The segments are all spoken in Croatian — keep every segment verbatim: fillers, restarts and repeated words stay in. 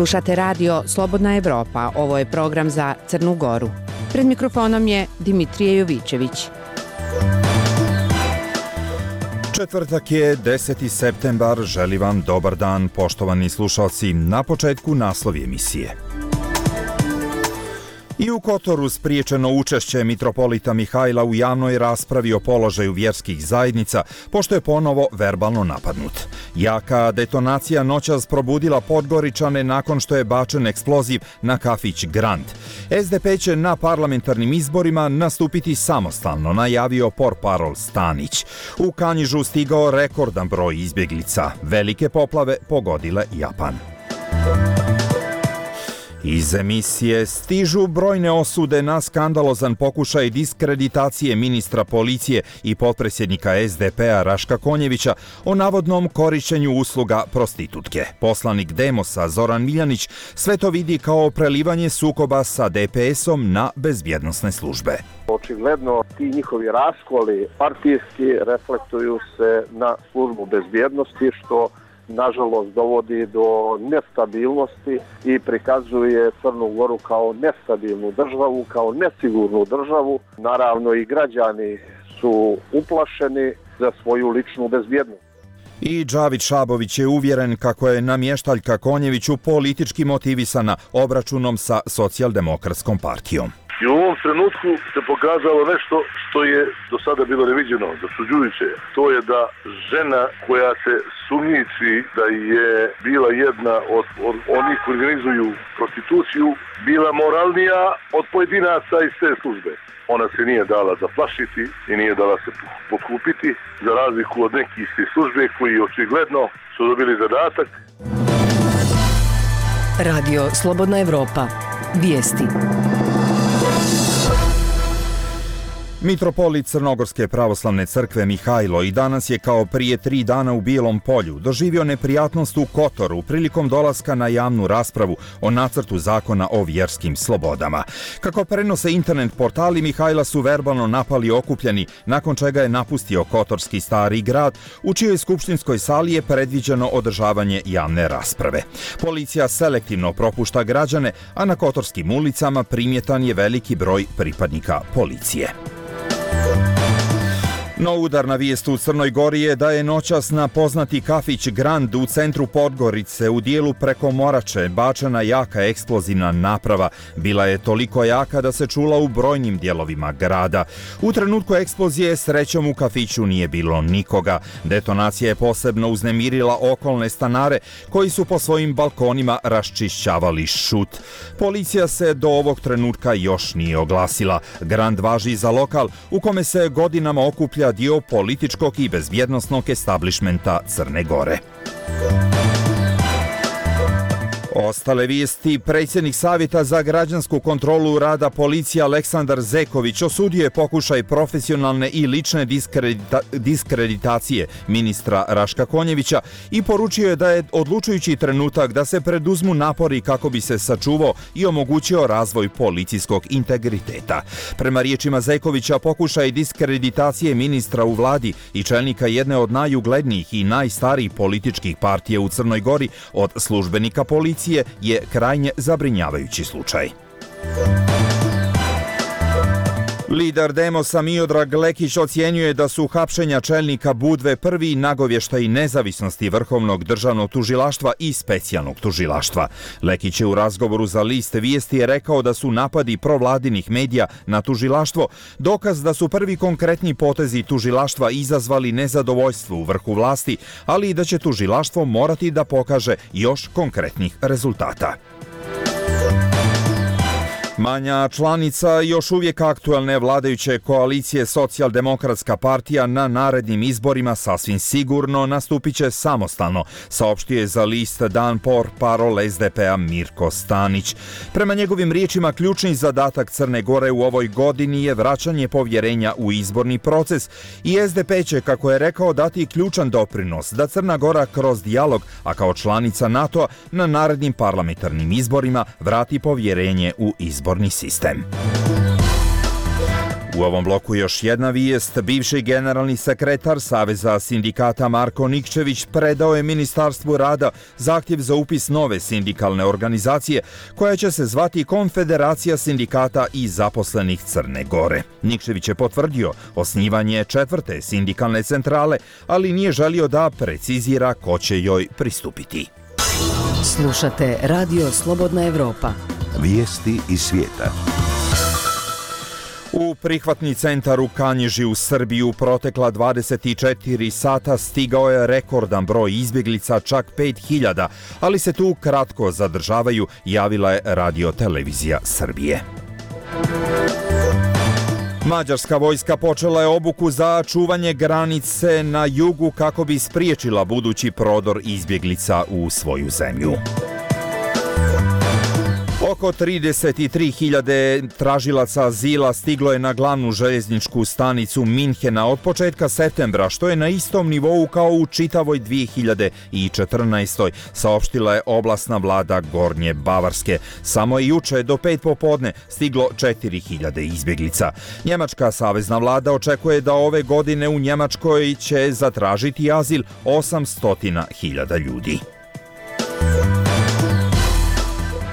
Slušate radio Slobodna Evropa, ovo je program za Crnu Goru. Pred mikrofonom je Dimitrije Jovićević. Četvrtak je deseti septembar, želim vam dobar dan, poštovani slušalci. Na početku naslovi emisije. I u Kotoru spriječeno učešće mitropolita Mihajla u javnoj raspravi o položaju vjerskih zajednica, pošto je ponovo verbalno napadnut. Jaka detonacija noćas probudila Podgoričane nakon što je bačen eksploziv na kafić Grand. S D P će na parlamentarnim izborima nastupiti samostalno, najavio portparol Stanić. U Kanjižu stigao rekordan broj izbjeglica. Velike poplave pogodile Japan. Iz emisije stižu brojne osude na skandalozan pokušaj diskreditacije ministra policije i potpredsjednika S D P-a Raška Konjevića o navodnom korišćenju usluga prostitutke. Poslanik Demosa Zoran Miljanić sve to vidi kao prelivanje sukoba sa D P S-om na bezbjednosne službe. Očigledno ti njihovi raskoli partijski reflektuju se na službu bezbjednosti, što nažalost dovodi do nestabilnosti i prikazuje Crnu Goru kao nestabilnu državu, kao nesigurnu državu. Naravno i građani su uplašeni za svoju ličnu bezbjednost. I Džavid Šabović je uvjeren kako je namještaljka Konjeviću politički motivisana obračunom sa socijaldemokratskom partijom. I u ovom trenutku se pokazalo nešto što je do sada bilo neviđeno, začuđujuće. To je da žena koja se sumnjiči da je bila jedna od, od onih koji organizuju prostituciju, bila moralnija od pojedinaca iz te službe. Ona se nije dala zaplašiti i nije dala se potkupiti, za razliku od nekih iz službe koji očigledno su dobili zadatak. Radio Slobodna Evropa. Vijesti. Mitropolit Crnogorske pravoslavne crkve Mihajlo i danas je kao prije tri dana u Bijelom Polju doživio neprijatnost u Kotoru prilikom dolaska na javnu raspravu o nacrtu zakona o vjerskim slobodama. Kako prenose internet portali, Mihajla su verbalno napali okupljeni, nakon čega je napustio Kotorski Stari grad, u čijoj skupštinskoj sali je predviđeno održavanje javne rasprave. Policija selektivno propušta građane, a na kotorskim ulicama primjetan je veliki broj pripadnika policije. No udarna vijest u Crnoj Gori je da je noćas na poznati kafić Grand u centru Podgorice u dijelu preko Morače bačena jaka eksplozivna naprava. Bila je toliko jaka da se čula u brojnim dijelovima grada. U trenutku eksplozije srećom u kafiću nije bilo nikoga. Detonacija je posebno uznemirila okolne stanare koji su po svojim balkonima raščišćavali šut. Policija se do ovog trenutka još nije oglasila. Grand važi za lokal u kome se godinama okuplja dio političkog i bezbjednosnog establišmenta Crne Gore. Ostale vijesti. Predsjednik Savjeta za građansku kontrolu rada policije Aleksandar Zeković osudio je pokušaj profesionalne i lične diskredita- diskreditacije ministra Raška Konjevića i poručio je da je odlučujući trenutak da se preduzmu napori kako bi se sačuvao i omogućio razvoj policijskog integriteta. Prema riječima Zekovića, pokušaj diskreditacije ministra u vladi i čelnika jedne od najuglednijih i najstarijih političkih partija u Crnoj Gori od službenika policije je krajnje zabrinjavajući slučaj. Lider Demosa Miodrag Lekić ocjenjuje da su hapšenja čelnika Budve prvi nagovještaj nezavisnosti Vrhovnog državnog tužilaštva i specijalnog tužilaštva. Lekić je u razgovoru za list Vijesti rekao da su napadi provladinih medija na tužilaštvo dokaz da su prvi konkretni potezi tužilaštva izazvali nezadovoljstvo u vrhu vlasti, ali i da će tužilaštvo morati da pokaže još konkretnih rezultata. Manja članica još uvijek aktualne vladajuće koalicije Socijaldemokratska partija na narednim izborima sasvim sigurno nastupit će samostalno, saopštio je za list Dan portparol S D P-a Mirko Stanić. Prema njegovim riječima, ključni zadatak Crne Gore u ovoj godini je vraćanje povjerenja u izborni proces i S D P će, kako je rekao, dati ključan doprinos da Crna Gora kroz dijalog, a kao članica NATO-a, na narednim parlamentarnim izborima vrati povjerenje u izborni sistem. U ovom bloku još jedna vijest. Bivši generalni sekretar Saveza sindikata Marko Nikčević predao je Ministarstvu rada zahtjev za upis nove sindikalne organizacije koja će se zvati Konfederacija sindikata i zaposlenih Crne Gore. Nikčević je potvrdio osnivanje četvrte sindikalne centrale, ali nije želio da precizira ko će joj pristupiti. Slušate Radio Slobodna Evropa. Vijesti iz svijeta. U prihvatni centar u Kanjiži u Srbiju protekla dvadeset četiri sata stigao je rekordan broj izbjeglica, čak pet hiljada, ali se tu kratko zadržavaju, javila je Radio-televizija Srbije. Mađarska vojska počela je obuku za čuvanje granice na jugu kako bi spriječila budući prodor izbjeglica u svoju zemlju. Oko trideset tri hiljade tražilaca azila stiglo je na glavnu željezničku stanicu Minhena od početka septembra, što je na istom nivou kao u čitavoj dvije hiljade četrnaestoj. saopštila je oblastna vlada Gornje Bavarske. Samo je juče do pet popodne stiglo četiri hiljade izbjeglica. Njemačka savezna vlada očekuje da ove godine u Njemačkoj će zatražiti azil osamsto hiljada ljudi.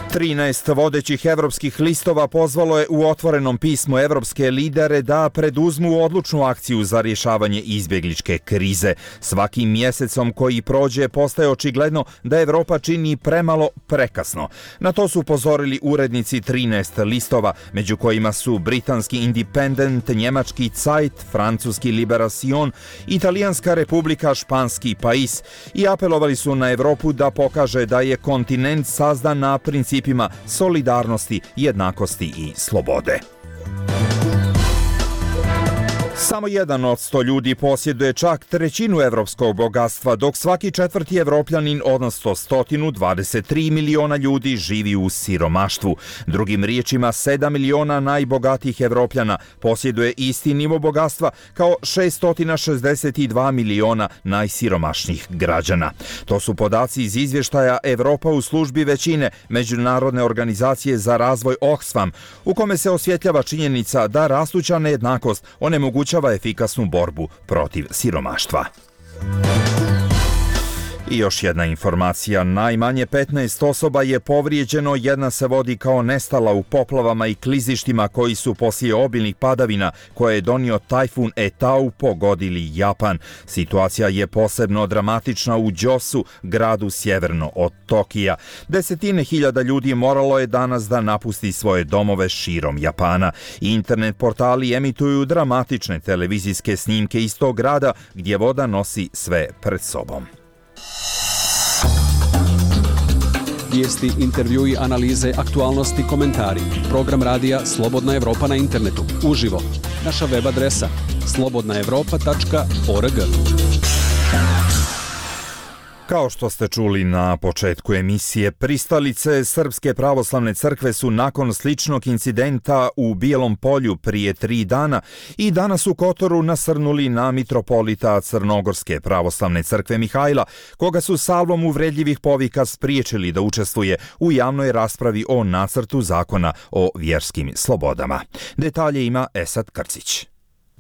trinaest vodećih evropskih listova pozvalo je u otvorenom pismu evropske lidere da preduzmu odlučnu akciju za rješavanje izbjegličke krize. Svakim mjesecom koji prođe postaje očigledno da Evropa čini premalo prekasno. Na to su upozorili urednici trinaest listova, među kojima su britanski Independent, njemački Zeit, francuski Liberation, italijanska Republika, španski Pais, i apelovali su na Evropu da pokaže da je kontinent sazdan na principu solidarnosti, jednakosti i slobode. Samo jedan od sto ljudi posjeduje čak trećinu evropskog bogatstva, dok svaki četvrti Evropljanin, odnosno sto dvadeset tri miliona ljudi, živi u siromaštvu. Drugim riječima, sedam miliona najbogatijih Evropljana posjeduje isti nivo bogatstva kao šesto šezdeset dva miliona najsiromašnijih građana. To su podaci iz izvještaja Evropa u službi većine Međunarodne organizacije za razvoj Oxfam, u kome se osvjetljava činjenica da rastuća nejednakost onemogućava efikasnu borbu protiv siromaštva. I još jedna informacija. Najmanje petnaest osoba je povrijeđeno, jedna se vodi kao nestala u poplavama i klizištima koji su poslije obilnih padavina koje je donio tajfun Etau pogodili Japan. Situacija je posebno dramatična u Djosu, gradu sjeverno od Tokija. Desetine hiljada ljudi moralo je danas da napusti svoje domove širom Japana. Internet portali emituju dramatične televizijske snimke iz tog grada gdje voda nosi sve pred sobom. Vijesti, intervjui, analize, aktualnosti, komentari. Program radija Slobodna Evropa na internetu. Uživo. Naša web adresa slobodna evropa tačka org. Kao što ste čuli na početku emisije, pristalice Srpske pravoslavne crkve su nakon sličnog incidenta u Bijelom Polju prije tri dana i danas u Kotoru nasrnuli na mitropolita Crnogorske pravoslavne crkve Mihajla, koga su salvom uvredljivih povika spriječili da učestvuje u javnoj raspravi o nacrtu zakona o vjerskim slobodama. Detalje ima Esad Krcić.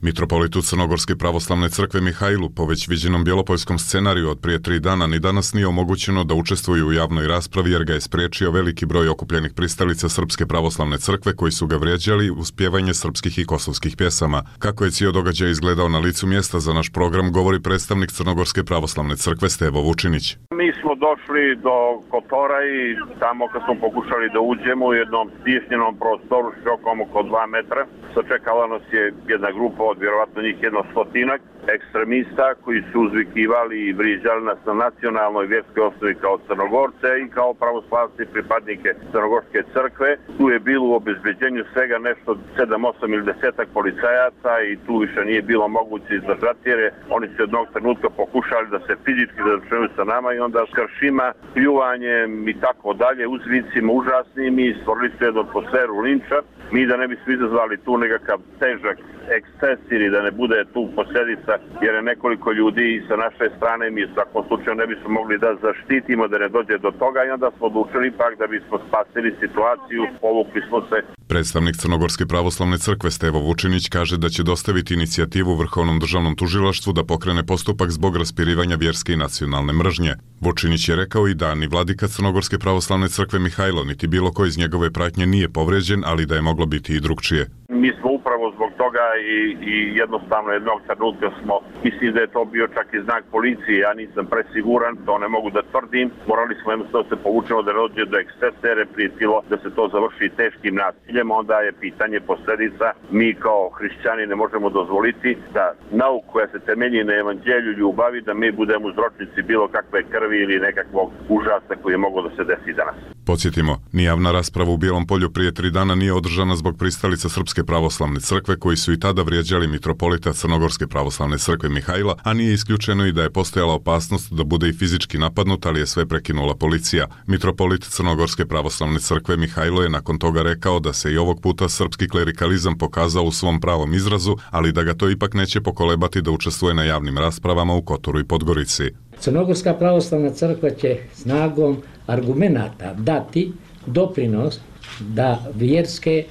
Mitropolitu Crnogorske pravoslavne crkve Mihajlu po već viđenom bjelopoljskom scenariju od prije tri dana ni danas nije omogućeno da učestvuju u javnoj raspravi jer ga je spriječio veliki broj okupljenih pristalica Srpske pravoslavne crkve koji su ga vrijeđali uz pjevanje srpskih i kosovskih pjesama. Kako je cijel događaj izgledao na licu mjesta za naš program, govori predstavnik Crnogorske pravoslavne crkve Stevo Vučinić. Mi smo došli do Kotora i tamo kad smo pokušali da uđemo u jednom stisnjenom prostoru širokom oko dva metra, sačekala nas je jedna grupa od vjerovatno njih jedno stotinak ekstremista koji su uzvikivali i vrijeđali nas na nacionalnoj vjerskoj osnovi kao Crnogorce i kao pravoslavci pripadnike Crnogorske crkve. Tu je bilo u obezbeđenju svega nešto sedam, osam ili desetak policajaca i tu više nije bilo moguće izdržati jer oni su jednog trenutka pokušali da se fizički zadržaju sa nama i onda s kršima, pljuvanjem i tako dalje, uzvicima užasnim i stvorili su jednu atmosferu linča. Mi da ne bismo izazvali tu nekakav težak eksces ili da ne bude tu posljedica jer je nekoliko ljudi sa naše strane, mi u svakom slučaju ne bismo mogli da zaštitimo da ne dođe do toga i onda smo odlučili pak da bismo spasili situaciju, povukli smo se. Predstavnik Crnogorske pravoslavne crkve Stevo Vučinić kaže da će dostaviti inicijativu Vrhovnom državnom tužilaštvu da pokrene postupak zbog raspirivanja vjerske i nacionalne mržnje. Vučinić je rekao i da ni vladika Crnogorske pravoslavne crkve Mihajlo niti bilo ko iz njegove pratnje nije povređen, ali da je moglo biti i drugčije. Mi smo upravo zbog toga i, i jednostavno jednog trenutka smo, mislim da je to bio čak i znak policije, ja nisam presiguran, to ne mogu da tvrdim. Morali smo jednostavno se povučeno da dođe do ekscesa jer je prijetilo da se to završi teškim nasiljem, onda je pitanje posledica. Mi kao hrišćani ne možemo dozvoliti da nauku koja se temelji na evanđelju ljubavi, da mi budemo uzročnici bilo kakve krvi ili nekakvog užasa koji je moglo da se desi danas. Podsjetimo, ni javna rasprava u Bijelom Polju prije tri dana nije održana zbog pristalica Srpske pravoslavne crkve koji su i tada vrijeđali mitropolita Crnogorske pravoslavne crkve Mihajla, a nije isključeno i da je postojala opasnost da bude i fizički napadnut, ali je sve prekinula policija. Mitropolit Crnogorske pravoslavne crkve Mihajlo je nakon toga rekao da se i ovog puta srpski klerikalizam pokazao u svom pravom izrazu, ali da ga to ipak neće pokolebati da učestvuje na javnim raspravama u Kotoru i Podgorici. Crnogorska pravoslavna crkva će snagom argumenata dati doprinos da vjerske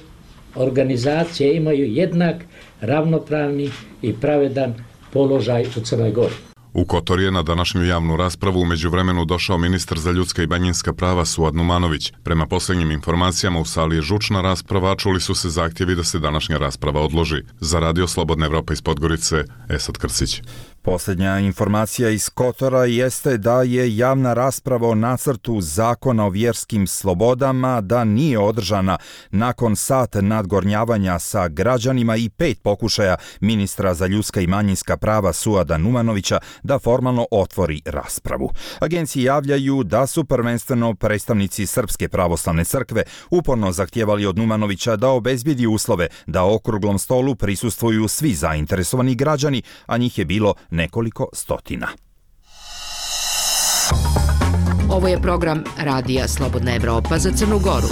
organizacije imaju jednak, ravnopravni i pravedan položaj u Crnoj Gori. U Kotor je na današnju javnu raspravu u međuvremenu došao ministar za ljudska i manjinska prava Suad Numanović. Prema posljednjim informacijama u sali je žučna rasprava, čuli su se zahtjevi da se današnja rasprava odloži. Za Radio Slobodna Evropa iz Podgorice, Esad Krsić. Posljednja informacija iz Kotora jeste da je javna rasprava o nacrtu zakona o vjerskim slobodama da nije održana nakon sat nadgornjavanja sa građanima i pet pokušaja ministra za ljudska i manjinska prava Suada Numanovića da formalno otvori raspravu. Agenciji javljaju da su prvenstveno predstavnici Srpske pravoslavne crkve uporno zahtijevali od Numanovića da obezbijedi uslove da okruglom stolu prisustvuju svi zainteresovani građani, a njih je bilo nekoliko stotina. Ovo je program Radija Slobodna Evropa za Crnu Goru.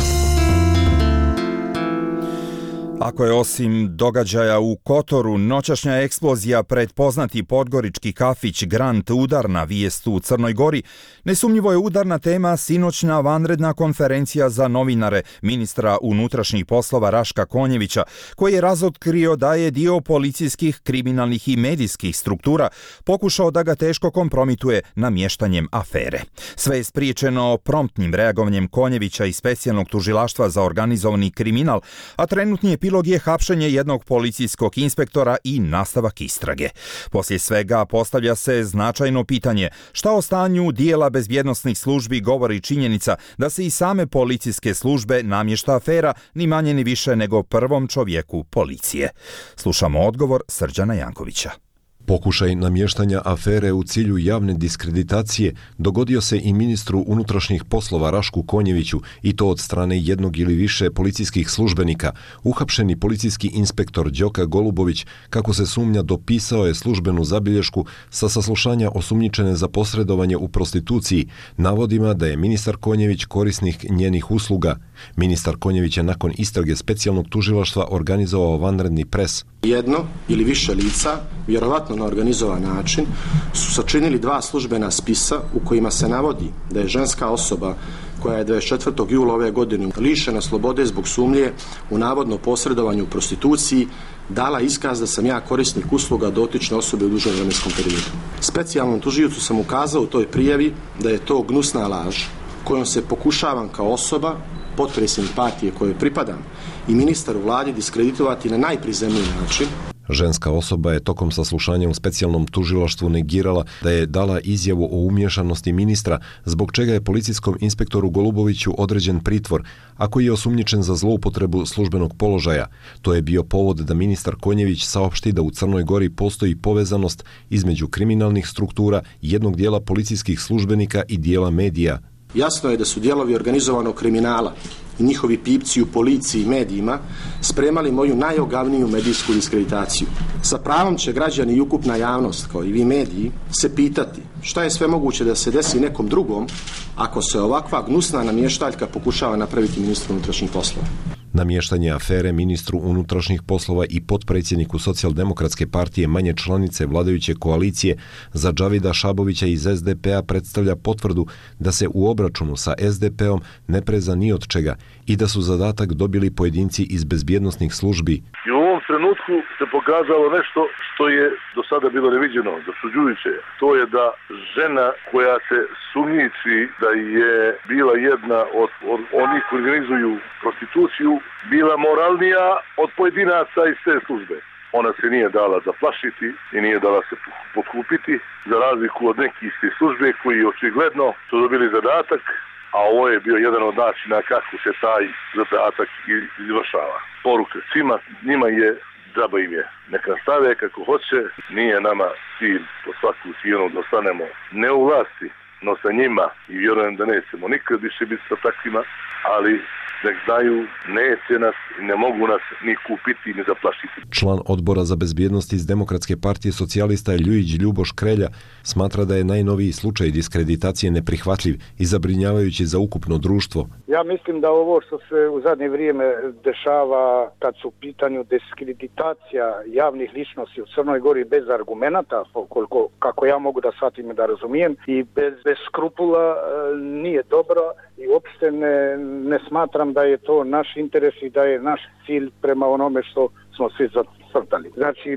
Ako je osim događaja u Kotoru noćašnja eksplozija pred poznati podgorički kafić Grand udarna vijest u Crnoj Gori, nesumnjivo je udarna tema sinoćna vanredna konferencija za novinare ministra unutrašnjih poslova Raška Konjevića, koji je razotkrio da je dio policijskih, kriminalnih i medijskih struktura pokušao da ga teško kompromituje namještanjem afere. Sve je spriječeno promptnim reagovanjem Konjevića i specijalnog tužilaštva za organizovani kriminal, a trenutni je epilog je hapšenje jednog policijskog inspektora i nastavak istrage. Poslije svega postavlja se značajno pitanje šta o stanju dijela bezbjednosnih službi govori činjenica da se i same policijske službe namješta afera ni manje ni više nego prvom čovjeku policije. Slušamo odgovor Srđana Jankovića. Pokušaj namještanja afere u cilju javne diskreditacije dogodio se i ministru unutrašnjih poslova Rašku Konjeviću i to od strane jednog ili više policijskih službenika. Uhapšeni policijski inspektor Đoka Golubović, kako se sumnja, dopisao je službenu zabilješku sa saslušanja osumnjičene za posredovanje u prostituciji, navodima da je ministar Konjević korisnik njenih usluga. Ministar Konjević je nakon istrage specijalnog tužilaštva organizovao vanredni pres. Jedno ili više lica, vjerovatno na organizovan način, su sačinili dva službena spisa u kojima se navodi da je ženska osoba koja je dvadeset četvrtog jula ove godine lišena slobode zbog sumnje u navodno posredovanju u prostituciji dala iskaz da sam ja korisnik usluga dotične osobe u dužem vremenskom periodu. Specijalnom tužiocu sam ukazao u toj prijavi da je to gnusna laž kojom se pokušavam kao osoba, potpredsjednik partije kojoj pripadam i ministar u vladi diskreditovati na najprizemniji način. Ženska osoba je tokom saslušanja u specijalnom tužilaštvu negirala da je dala izjavu o umiješanosti ministra, zbog čega je policijskom inspektoru Goluboviću određen pritvor, a koji je osumnjičen za zloupotrebu službenog položaja. To je bio povod da ministar Konjević saopšti da u Crnoj Gori postoji povezanost između kriminalnih struktura, jednog dijela policijskih službenika i dijela medija. Jasno je da su dijelovi organizovanog kriminala i njihovi pipci u policiji i medijima spremali moju najogavniju medijsku diskreditaciju. Sa pravom će građani i ukupna javnost, kao i vi mediji, se pitati šta je sve moguće da se desi nekom drugom ako se ovakva gnusna namještaljka pokušava napraviti ministru unutrašnjih poslova. Namještanje afere ministru unutrašnjih poslova i potpredsjedniku Socijaldemokratske partije manje članice vladajuće koalicije za Džavida Šabovića iz es de pe a predstavlja potvrdu da se u obračunu sa es de pe om ne preza ni od čega i da su zadatak dobili pojedinci iz bezbjednosnih službi. I u ovom trenutku se pokazalo nešto što je do sada bilo neviđeno, začuđujuće. To je da žena koja se sumnjiči da je bila jedna od, od onih koji organizuju prostituciju, bila moralnija od pojedinaca iz te službe. Ona se nije dala zaplašiti i nije dala se potkupiti, za razliku od nekih iz te službe koji očigledno su dobili zadatak, a ovo je bio jedan od načina kako se taj zadatak izvršava. Poruka svima, njima je, džaba im je, neka stave kako hoće, nije nama cilj po svaku cijenu da ostanemo ne u vlasti, no sa njima, i vjerujem da nećemo nikad više biti sa takvima, ali nek znaju, neće nas, ne mogu nas ni kupiti ni zaplašiti. Član odbora za bezbjednost iz Demokratske partije socijalista Ljujić Ljuboš Krelja smatra da je najnoviji slučaj diskreditacije neprihvatljiv i zabrinjavajući za ukupno društvo. Ja mislim da ovo što se u zadnje vrijeme dešava kad su u pitanju diskreditacija javnih ličnosti u Crnoj Gori bez argumenata, koliko, kako ja mogu da shvatim i da razumijem, i bez, bez skrupula nije dobro i uopšte ne, ne smatram da je to naš interes i da je naš cilj prema onome što smo svi zacrtali. Znači,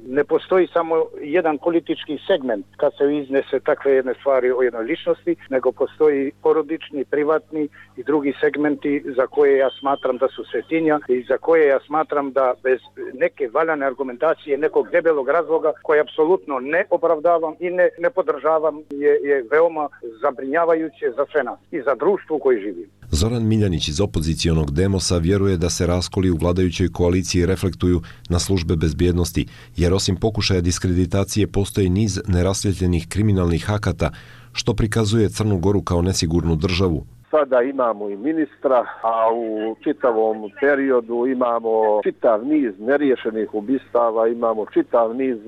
ne postoji samo jedan politički segment kad se iznese takve jedne stvari o jednoj ličnosti, nego postoji porodični, privatni i drugi segmenti za koje ja smatram da su svetinja i za koje ja smatram da bez neke valjane argumentacije, nekog debelog razloga koje apsolutno ne opravdavam i ne, ne podržavam je, je veoma zabrinjavajuće za sve nas i za društvo u koje živimo. Zoran Miljanić iz opozicijonog Demosa vjeruje da se raskoli u vladajućoj koaliciji reflektuju na službe bezbjednosti, jer osim pokušaja diskreditacije postoji niz nerasvjetljenih kriminalnih akata, što prikazuje Crnu Goru kao nesigurnu državu. Sada imamo i ministra, a u čitavom periodu imamo čitav niz neriješenih ubistava, imamo čitav niz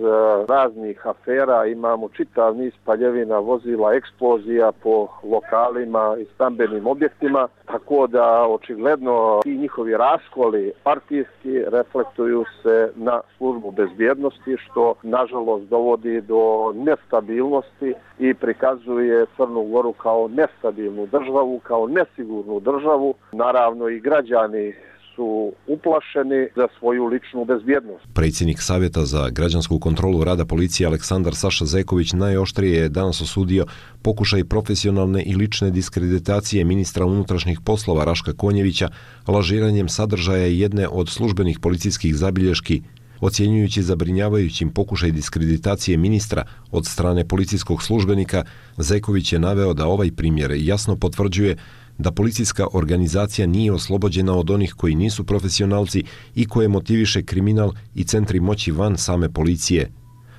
raznih afera, imamo čitav niz paljevina vozila, eksplozija po lokalima i stambenim objektima, tako da očigledno ti njihovi raskoli partijski reflektuju se na službu bezbjednosti, što nažalost dovodi do nestabilnosti i prikazuje Crnu Goru kao nestabilnu državu, kao nesigurnu državu. Naravno i građani su uplašeni za svoju ličnu bezbjednost. Predsjednik Savjeta za građansku kontrolu rada policije Aleksandar Saša Zeković najoštrije je danas osudio pokušaj profesionalne i lične diskreditacije ministra unutrašnjih poslova Raška Konjevića lažiranjem sadržaja jedne od službenih policijskih zabilješki. Ocjenjujući zabrinjavajućim pokušaj diskreditacije ministra od strane policijskog službenika, Zeković je naveo da ovaj primjer jasno potvrđuje da policijska organizacija nije oslobođena od onih koji nisu profesionalci i koje motiviše kriminal i centri moći van same policije.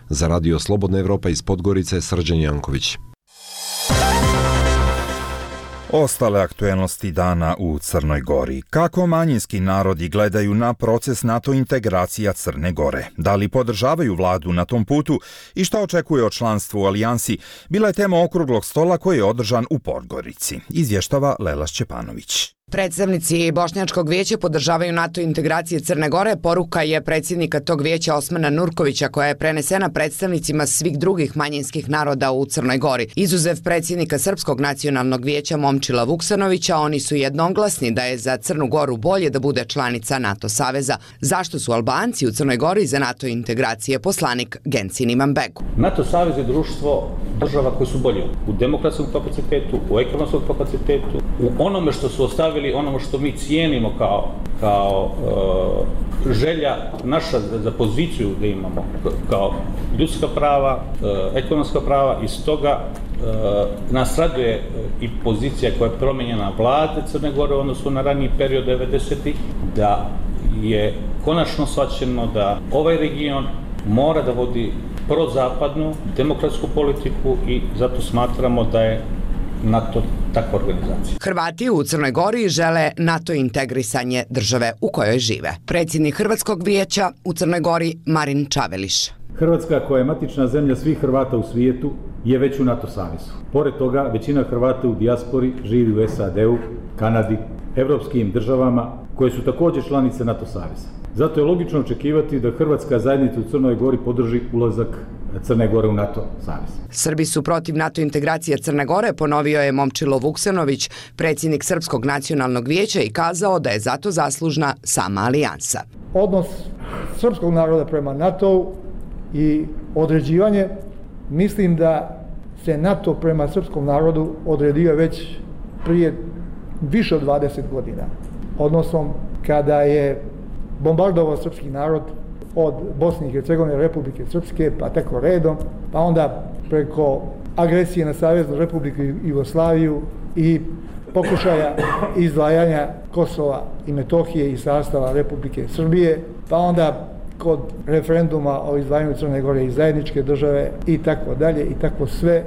Za Radio Slobodna Evropa iz Podgorice, Srđan Janković. Ostale aktuelnosti dana u Crnoj Gori. Kako manjinski narodi gledaju na proces NATO integracija Crne Gore? Da li podržavaju vladu na tom putu i šta očekuje od članstva u alijansi? Bila je tema okruglog stola koji je održan u Podgorici. Izvještava Lela Šćepanović. Predstavnici Bošnjačkog vijeća podržavaju NATO integracije Crne Gore. Poruka je predsjednika tog vijeća Osmana Nurkovića koja je prenesena predstavnicima svih drugih manjinskih naroda u Crnoj Gori. Izuzev predsjednika Srpskog nacionalnog vijeća Momčila Vuksanovića, oni su jednoglasni da je za Crnu Goru bolje da bude članica NATO saveza. Zašto su Albanci u Crnoj Gori za NATO integracije? Poslanik Gencin Imanbegu. NATO savez je društvo država koje su bolje u demokratskom kapacitetu, u ekonomskom kapacitetu, u onome što su ostavili, onome što mi cijenimo kao, kao e, želja naša za, za poziciju da imamo, kao ljudska prava, e, ekonomska prava, i stoga e, nas raduje i pozicija koja je promijenjena vlade Crne Gore u odnosu na raniji period devedesetih, da je konačno shvaćeno da ovaj region mora da vodi prozapadnu demokratsku politiku i zato smatramo da je NATO takva organizacija. Hrvati u Crnoj Gori žele NATO integrisanje države u kojoj žive. Predsjednik Hrvatskog vijeća u Crnoj Gori Marin Čaveliš. Hrvatska, koja je matična zemlja svih Hrvata u svijetu, je već u NATO savezu. Pored toga, većina Hrvata u dijaspori živi u es a de u, Kanadi, evropskim državama koje su također članice NATO saveza. Zato je logično očekivati da Hrvatska zajednica u Crnoj Gori podrži ulazak Crne Gore u NATO savez. Srbi su protiv NATO integracije Crne Gore, ponovio je Momčilo Vuksanović, predsjednik Srpskog nacionalnog vijeća, i kazao da je zato zaslužna sama alijansa. Odnos srpskog naroda prema NATO-u i određivanje, mislim da se NATO prema srpskom narodu odredio već prije više od dvadeset godina. Odnosom kada je bombardovao srpski narod od Bosne i Hercegovine, Republike Srpske, pa tako redom, pa onda preko agresije na Saveznu Republiku Jugoslaviju i pokušaja izdvajanja Kosova i Metohije iz sastava Republike Srbije, pa onda kod referenduma o izdvajanju Crne Gore iz zajedničke države i tako dalje i tako sve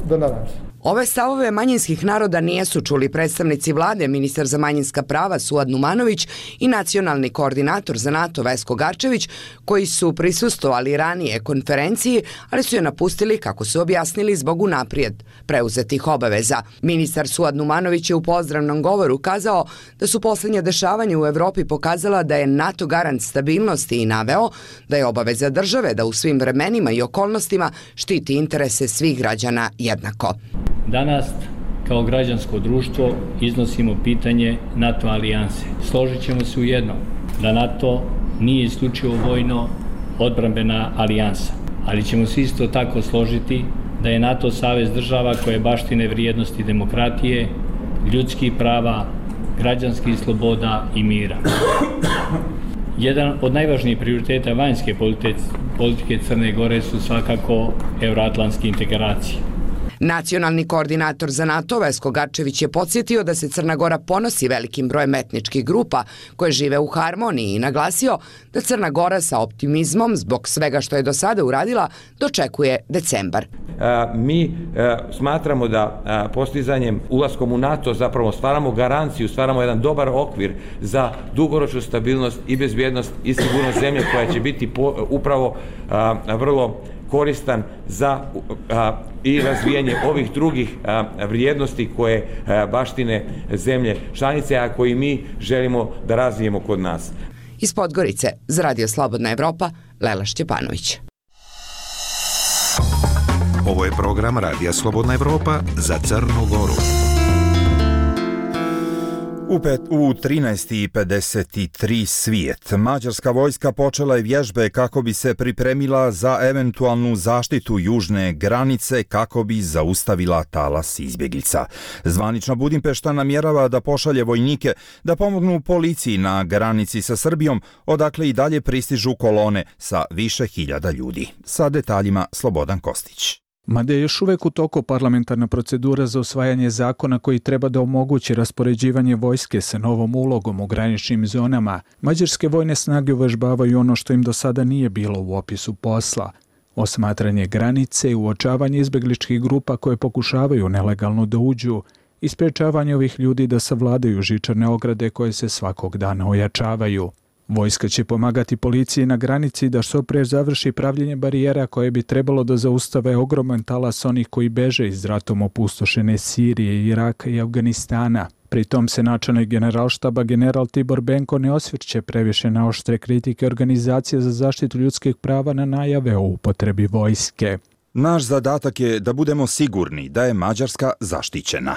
do danas. Ove stavove manjinskih naroda nijesu čuli predstavnici vlade, ministar za manjinska prava Suad Numanović i nacionalni koordinator za NATO Vesko Garčević, koji su prisustvovali ranije konferenciji, ali su je napustili, kako su objasnili, zbog unaprijed preuzetih obaveza. Ministar Suad Numanović je u pozdravnom govoru kazao da su posljednja dešavanja u Evropi pokazala da je NATO garant stabilnosti i naveo da je obaveza države da u svim vremenima i okolnostima štiti interese svih građana jednako. Danas, kao građansko društvo, iznosimo pitanje NATO alijanse. Složit ćemo se u jednom, da NATO nije isključivo vojno odbrambena alijansa, ali ćemo se isto tako složiti da je NATO savez država koje baštine vrijednosti demokratije, ljudskih prava, građanskih sloboda i mira. Jedan od najvažnijih prioriteta vanjske politike Crne Gore su svakako euroatlantske integracije. Nacionalni koordinator za NATO Vesko Garčević je podsjetio da se Crna Gora ponosi velikim brojem etničkih grupa koje žive u harmoniji i naglasio da Crna Gora sa optimizmom zbog svega što je do sada uradila dočekuje decembar. Mi smatramo da postizanjem ulaskom u NATO zapravo stvaramo garanciju, stvaramo jedan dobar okvir za dugoročnu stabilnost i bezbjednost i sigurnost zemlje koja će biti upravo vrlo koristan za a, i razvijanje ovih drugih a, vrijednosti koje a, baštine zemlje članice, a koji mi želimo da razvijemo kod nas. Iz Podgorice za Radio Slobodna Evropa, Lela Šćepanović. Ovo je program Radija Slobodna Evropa za Crnu Goru. U, pet, u trinaest i pedeset tri svijet, mađarska vojska počela je vježbe kako bi se pripremila za eventualnu zaštitu južne granice kako bi zaustavila talas izbjeglica. Zvanična Budimpešta namjerava da pošalje vojnike da pomognu policiji na granici sa Srbijom, odakle i dalje pristižu kolone sa više hiljada ljudi. Sa detaljima Slobodan Kostić. Mada je još uvek u toku parlamentarna procedura za usvajanje zakona koji treba da omogući raspoređivanje vojske sa novom ulogom u graničnim zonama, mađarske vojne snage uvežbavaju ono što im do sada nije bilo u opisu posla. Osmatranje granice i uočavanje izbegličkih grupa koje pokušavaju nelegalno da uđu i sprečavanje ovih ljudi da savladaju žičane ograde koje se svakog dana ojačavaju. Vojska će pomagati policiji na granici da što pre završi pravljenje barijera koje bi trebalo da zaustave ogroman talas onih koji beže iz ratom opustošene Sirije, Iraka i Afganistana. Pritom se načelnik generalštaba general Tibor Benko ne osvrće previše na oštre kritike Organizacije za zaštitu ljudskih prava na najave o upotrebi vojske. Naš zadatak je da budemo sigurni da je Mađarska zaštićena.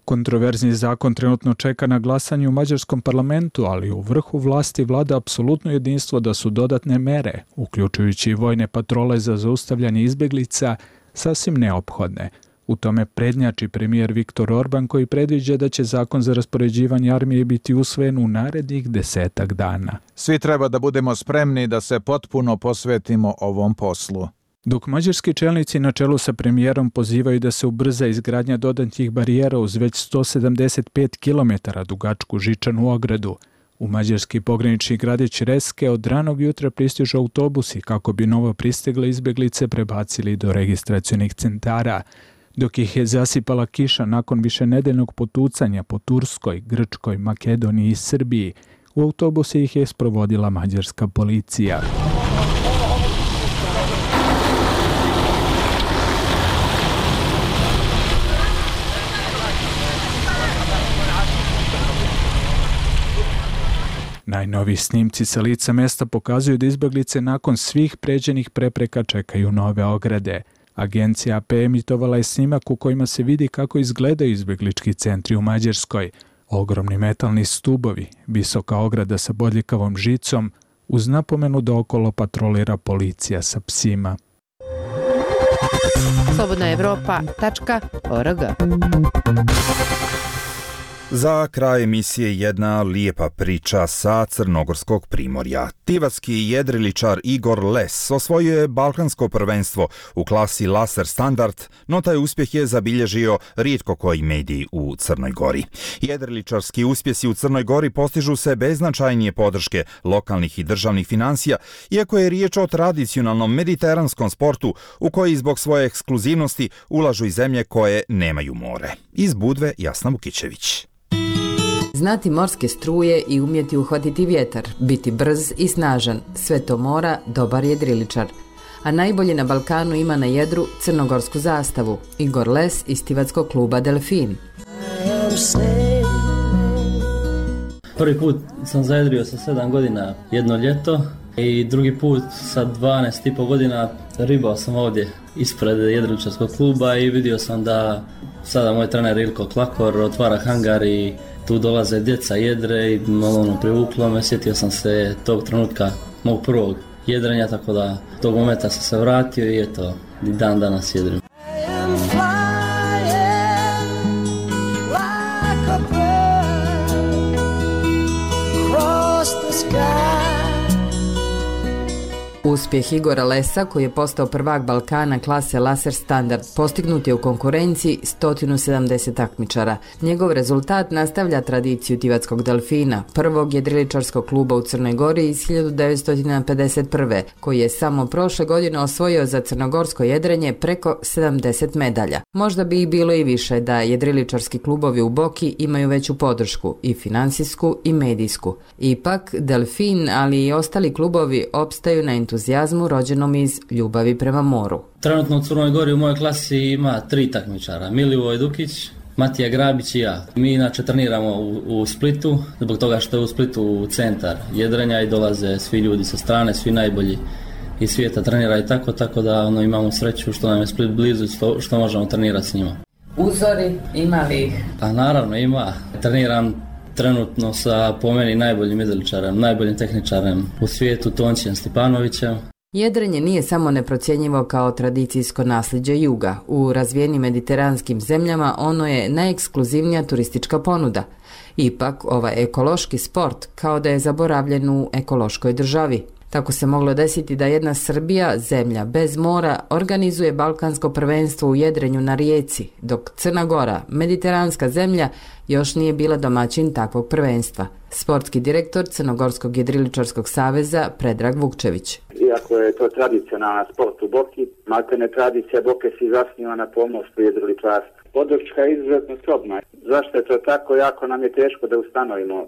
Kontroverzni zakon trenutno čeka na glasanje u mađarskom parlamentu, ali u vrhu vlasti vlada apsolutno jedinstvo da su dodatne mere, uključujući i vojne patrole za zaustavljanje izbjeglica, sasvim neophodne. U tome prednjači premijer Viktor Orban koji predviđa da će zakon za raspoređivanje armije biti usvojen u narednih desetak dana. Svi treba da budemo spremni da se potpuno posvetimo ovom poslu. Dok mađarski čelnici na čelu sa premijerom pozivaju da se ubrza izgradnja dodatnih barijera uz već sto sedamdeset pet kilometara dugačku žičanu ogradu, u mađarski pogranični gradić Reske od ranog jutra pristižu autobusi kako bi novo pristigle izbjeglice prebacili do registracionih centara, dok ih je zasipala kiša nakon višenedeljnog potucanja po Turskoj, Grčkoj, Makedoniji i Srbiji. U autobuse ih je sprovodila mađarska policija. Najnoviji snimci sa lica mesta pokazuju da izbeglice nakon svih pređenih prepreka čekaju nove ograde. Agencija A P emitovala je snimak u kojima se vidi kako izgledaju izbeglički centri u Mađarskoj. Ogromni metalni stubovi, visoka ograda sa bodljikavom žicom, uz napomenu da okolo patrolira policija sa psima. slobodna evropa tačka org. Za kraj emisije jedna lijepa priča sa crnogorskog primorja. Tivatski jedriličar Igor Les osvojio je balkansko prvenstvo u klasi Laser Standard, no taj uspjeh je zabilježio rijetko koji medij u Crnoj Gori. Jedriličarski uspjesi u Crnoj Gori postižu se bez značajnije podrške lokalnih i državnih financija, iako je riječ o tradicionalnom mediteranskom sportu u koji zbog svoje ekskluzivnosti ulažu i zemlje koje nemaju more. Iz Budve Jasna Vukićević. Znati morske struje i umjeti uhvatiti vjetar, biti brz i snažan, sve to mora dobar jedriličar. A najbolje na Balkanu ima na jedru crnogorsku zastavu, Igor Les iz tivatskog kluba Delfin. Prvi put sam zajedrio sa sedam godina jedno ljeto i drugi put sa dvanaest i pol godina ribao sam ovdje ispred jedriličarskog kluba i vidio sam da sada moj trener Ilko Klakor otvara hangar i tu dolaze djeca jedre i malo ono privuklo me, sjetio sam se tog trenutka mog prvog jedrenja, tako da tog momenta sam se vratio i eto, i dan danas jedrim. Uspjeh Igora Lesa, koji je postao prvak Balkana klase Laser Standard, postignut je u konkurenciji sto sedamdeset takmičara. Njegov rezultat nastavlja tradiciju tivatskog Delfina, prvog jedriličarskog kluba u Crnoj Gori iz hiljadu devetsto pedeset prve, koji je samo prošle godine osvojio za crnogorsko jedrenje preko sedamdeset medalja. Možda bi ih bilo i više da jedriličarski klubovi u Boki imaju veću podršku, i finansijsku i medijsku. Ipak, Delfin, ali i ostali klubovi opstaju na entuzijazmu rođenom iz ljubavi prema moru. Trenutno u Crnoj Gori u mojoj klasi ima tri takmičara, Milivoj Dukić, Matija Grabić i ja. Mi inače treniramo u, u Splitu, zbog toga što je u Splitu centar jedrenja i dolaze svi ljudi sa strane, svi najbolji iz svijeta trenira i tako, tako da ono, imamo sreću što nam je Split blizu, što, što možemo trenirati s njima. Uzori, ima li ih? Pa naravno ima. Treniram trenutno sa po meni najboljim jedriličarem, najboljim tehničarem u svijetu, Tončijem Stipanovićem. Jedrenje nije samo neprocjenjivo kao tradicijsko nasljeđe juga. U razvijenim mediteranskim zemljama ono je najekskluzivnija turistička ponuda. Ipak, ovaj ekološki sport kao da je zaboravljen u ekološkoj državi. Tako se moglo desiti da jedna Srbija, zemlja bez mora, organizuje balkansko prvenstvo u jedrenju na rijeci, dok Crna Gora, mediteranska zemlja, još nije bila domaćin takvog prvenstva. Sportski direktor Crnogorskog jedriličarskog saveza Predrag Vukčević. Iako je to tradicionalna sport u Boki, maltene tradicija Boke se zasniva na pomorstvu i jedriličarstvu. Podrška je izuzetno skromna. Zašto je to tako? Jako nam je teško da ustanovimo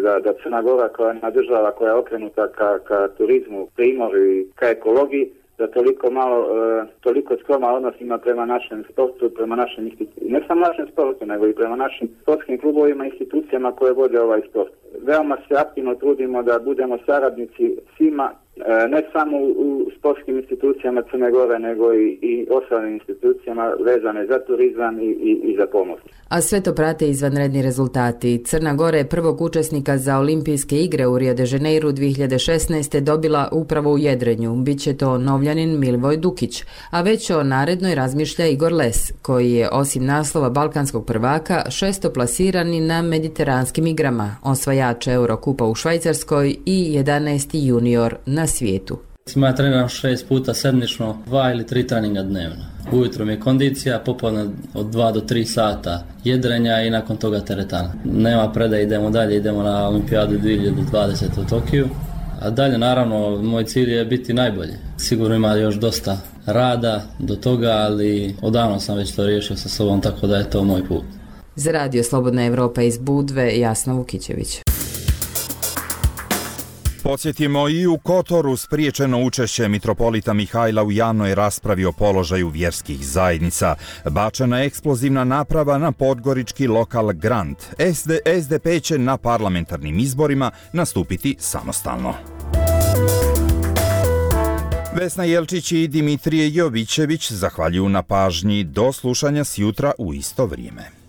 da, da Crna Gora koja je država koja je okrenuta ka, ka turizmu, primoru i ka ekologiji, da toliko malo, e, toliko skroma odnos ima prema našem sportu, prema našem institucijama, ne samo našem sportu, nego i prema našim sportskim klubovima i institucijama koje vode ovaj sport. Veoma se aktivno trudimo da budemo saradnici svima, e, ne samo u, u sportskim institucijama Crne Gore, nego i, i ostalim institucijama vezane za turizam i, i, i za pomorstvo. A sve to prate izvanredni rezultati. Crna Gora je prvog učesnika za olimpijske igre u Rio de Janeiru dvije hiljade šesnaeste. dobila upravo u jedrenju. Biće to Novljanin Milivoj Dukić, a već o narednoj razmišlja Igor Les, koji je osim naslova balkanskog prvaka šestoplasirani na mediteranskim igrama, osvajač Eurokupa u Švajcarskoj i jedanaesti junior na svijetu. Ja treniram šest puta sedmično, dva ili tri treninga dnevno. Ujutro mi je kondicija, popodne od dva do tri sata jedrenja i nakon toga teretana. Nema predaje, idemo dalje, idemo na olimpijadu dvije hiljade dvadesete u Tokiju. A dalje, naravno, moj cilj je biti najbolji. Sigurno ima još dosta rada do toga, ali odavno sam već to riješio sa sobom, tako da je to moj put. Za Radio Slobodna Evropa iz Budve, Jasna Vukićević. Podsjetimo, i u Kotoru spriječeno učešće mitropolita Mihajla u javnoj raspravi o položaju vjerskih zajednica. Bačena je eksplozivna naprava na podgorički lokal Grand. S D P će na parlamentarnim izborima nastupiti samostalno. Vesna Jelčić i Dimitrije Jovićević zahvaljuju na pažnji. Do slušanja sjutra u isto vrijeme.